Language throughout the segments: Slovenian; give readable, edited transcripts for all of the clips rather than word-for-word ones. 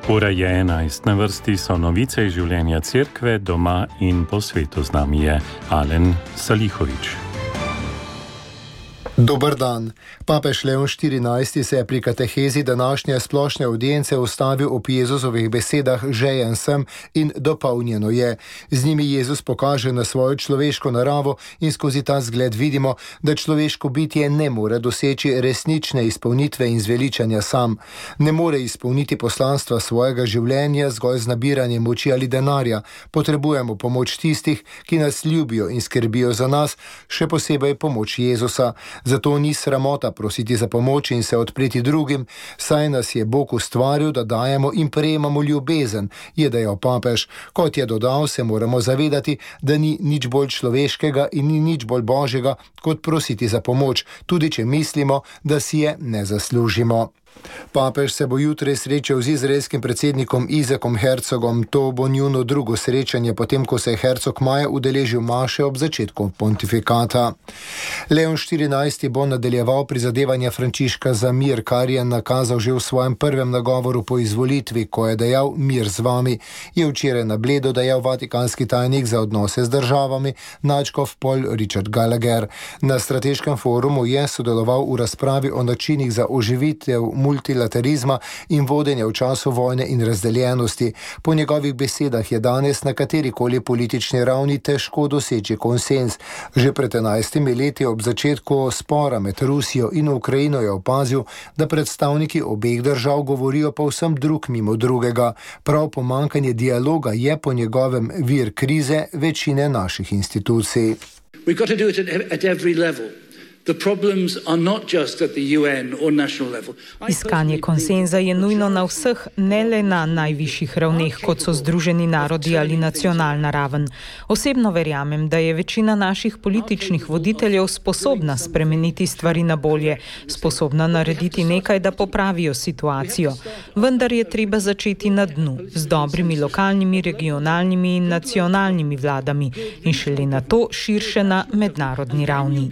Ura je 11, na vrsti so novice iz življenja cerkve, doma in po svetu. Z nami je Alen Salihovič. Dober dan. Papež Leon XIV se je pri katehezi današnje splošne avdience ustavil ob Jezusovih besedah žejen sem in dopolnjeno je. Z njimi Jezus pokaže na svojo človeško naravo in skozi ta zgled vidimo, da človeško bitje ne more doseči resnične izpolnitve in zveličanja sam. Ne more izpolniti poslanstva svojega življenja zgolj z nabiranjem moči ali denarja. Potrebujemo pomoč tistih, ki nas ljubijo in skrbijo za nas, še posebej pomoč Jezusa. Zato ni sramota prositi za pomoč in se odpreti drugim, saj nas je Bog ustvaril, da dajemo in prejemamo ljubezen, je dejal papež. Kot je dodal, se moramo zavedati, da ni nič bolj človeškega in ni nič bolj božjega, kot prositi za pomoč, tudi če mislimo, da si je ne zaslužimo. Papež se bo jutri srečal z izraelskim predsednikom Izakom Herzogom. To bo njuno drugo srečanje, potem ko se je Herzog maja udeležil maše ob začetku pontifikata. Leon XIV bo nadaljeval prizadevanja Frančiška za mir, kar je nakazal že v svojem prvem nagovoru po izvolitvi, ko je dejal mir z vami, je včeraj na Bledu dejal vatikanski tajnik za odnose z državami, nadškof Paul Richard Gallagher. Na strateškem forumu je sodeloval v razpravi o načinih za oživitev multilaterizma in vodenja v času vojne in razdeljenosti. Po njegovih besedah je danes na katerikoli politični ravni težko doseči konsens. Že pred 11 leti ob začetku spora med Rusijo in Ukrajino je opazil, da predstavniki obeh držav govorijo povsem drug mimo drugega. Prav pomanjkanje dialoga je po njegovem vir krize večine naših institucij. We've got to do it at every level. The problems are not just at the UN or national level. Iskanje konsenza je nujno na vseh, ne le na najvišjih ravneh, kot so Združeni narodi ali nacionalna raven. Osebno verjamem, da je večina naših političnih voditeljev sposobna spremeniti stvari na bolje, sposobna narediti nekaj, da popravijo situacijo. Vendar je treba začeti na dnu, z dobrimi lokalnimi, regionalnimi in nacionalnimi vladami in šele na to širše na mednarodni ravni.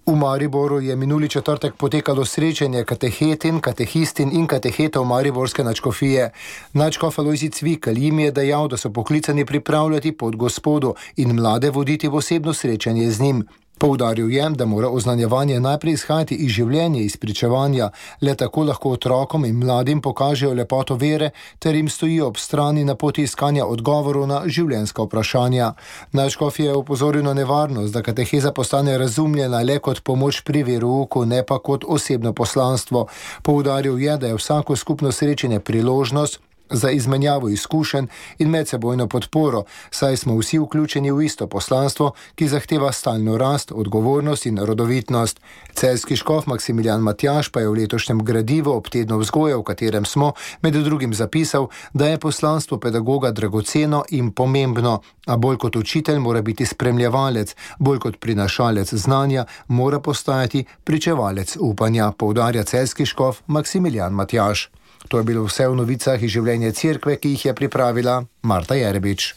V Mariboru je minuli četrtek potekalo srečanje katehetin, katehistin in katehetov mariborske nadškofije. Nadškof Alojzij Cvikl jim je dejal, da so poklicani pripravljati pot Gospodu in mlade voditi v osebno srečanje z njim. Poudaril je, da mora oznanjevanje najprej izhajati iz življenja, iz pričevanja, le tako lahko otrokom in mladim pokažejo lepoto vere ter jim stojijo ob strani na poti iskanja odgovorov na življenjska vprašanja. Nadškof je opozoril na nevarnost, da kateheza postane razumljena le kot pomoč pri verouku, ne pa kot osebno poslanstvo. Poudaril je, da je vsako skupno srečanje priložnost za izmenjavo izkušenj in medsebojno podporo, saj smo vsi vključeni v isto poslanstvo, ki zahteva stalno rast, odgovornost in rodovitnost. Celjski škof Maksimilijan Matjaž pa je v letošnjem gradivu ob tednu vzgoje, v katerem smo, med drugim zapisal, da je poslanstvo pedagoga dragoceno in pomembno, a bolj kot učitelj mora biti spremljevalec, bolj kot prinašalec znanja mora postajati pričevalec upanja, poudarja celjski škof Maksimilijan Matjaž. To je bilo vse v novicah iz življenja cerkve, ki jih je pripravila Marta Jerebič.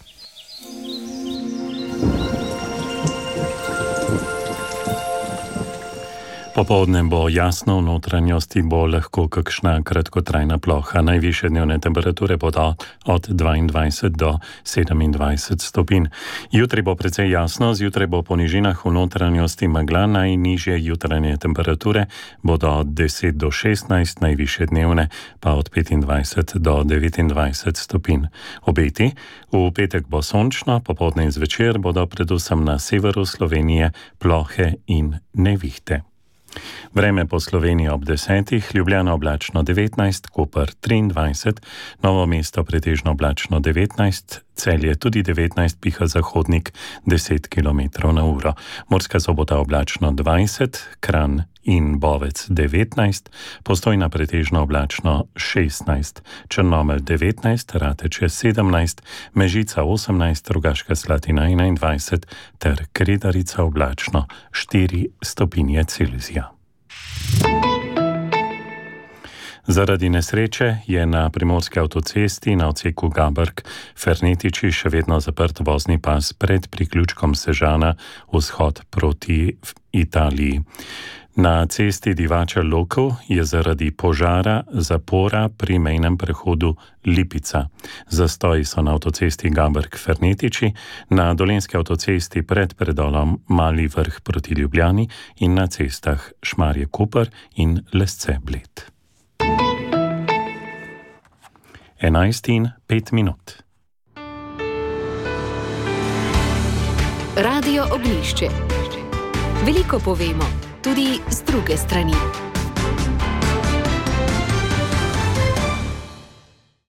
Popoldne bo jasno, v notranjosti bo lahko kakšna kratkotrajna ploha. Najvišje dnevne temperature bodo od 22 do 27 stopinj. Jutri bo precej jasno, zjutraj bo po nižinah v notranjosti megla, najnižje jutranje temperature bodo od 10 do 16, najvišje dnevne pa od 25 do 29 stopinj. Obeti: v petek bo sončno, popoldne in zvečer bodo predvsem na severu Slovenije plohe in nevihte. Vreme po Sloveniji ob 10, Ljubljana oblačno 19, Koper 23, Novo mesto pretežno oblačno 19, Celje tudi 19, piha zahodnik 10 km/h. Murska Sobota oblačno 20, Kranj in Bovec 19, Postojna pretežno oblačno 16, Črnomelj 19, Rateče 17, Mežica 18, Rogaška Slatina 21 ter Kredarica oblačno 4 stopinje Celzija. Zaradi nesreče je na primorski avtocesti na odseku Gaberg-Fernetiči še vedno zaprt vozni pas pred priključkom Sežana vzhod proti Italiji. Na cesti Divača Lokov je zaradi požara zapora pri mejnem prehodu Lipica. Zastoji so na avtocesti Gaberg-Fernetiči, na dolenski avtocesti pred predolom Mali Vrh proti Ljubljani in na cestah Šmarje-Koper in Lesce-Bled. 11:05. Radio Oglišče. Veliko povemo, tudi z druge strani.